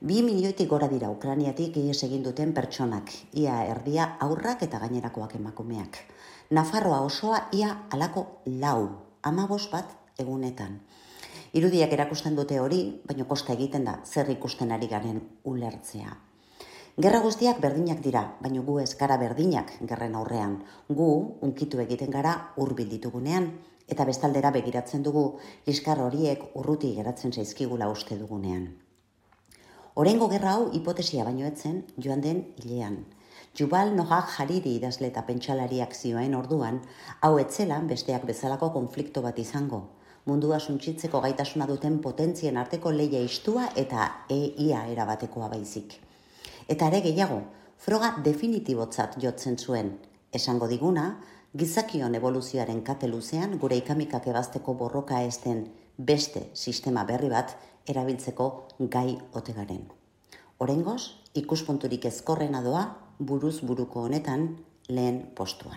2 milioitik gora dira Ukrainiatik ihes egin duten pertsonak, ia erdia aurrak eta gainerakoak emakumeak. Nafarroa osoa ia halako 15 bat egunetan. Irudiak erakusten dute hori, baina kosta egiten da zer ikusten ari garen ulertzea. Gerra guztiak berdinak dira, baina gu ez gara berdinak gerren aurrean. Gu unkitu egiten gara hurbil ditugunean, eta bestaldera begiratzen dugu liskar horiek urruti geratzen zaizkigula uste dugunean. Oraingo gerra hau hipotesia baino etzen joan den hilean. Yuval Noah Hariri idazle eta pentsalariak zioen orduan, hau etzelan besteak bezalako konflikto bat izango. Mundua suntsitzeko gaitasuna duten potentzien arteko lehia istua eta ia erabatekoa baizik. Eta ere gehiago, froga definitibotzat jotzen zuen. Esango diguna, gizakion evoluzioaren kate luzean gure ikamikak ebazteko borroka ez den beste sistema berri bat erabiltzeko gai ote garen. Oraingoz, ikuspunturik ezkorrena doa buruz buruko honetan lehen postuan.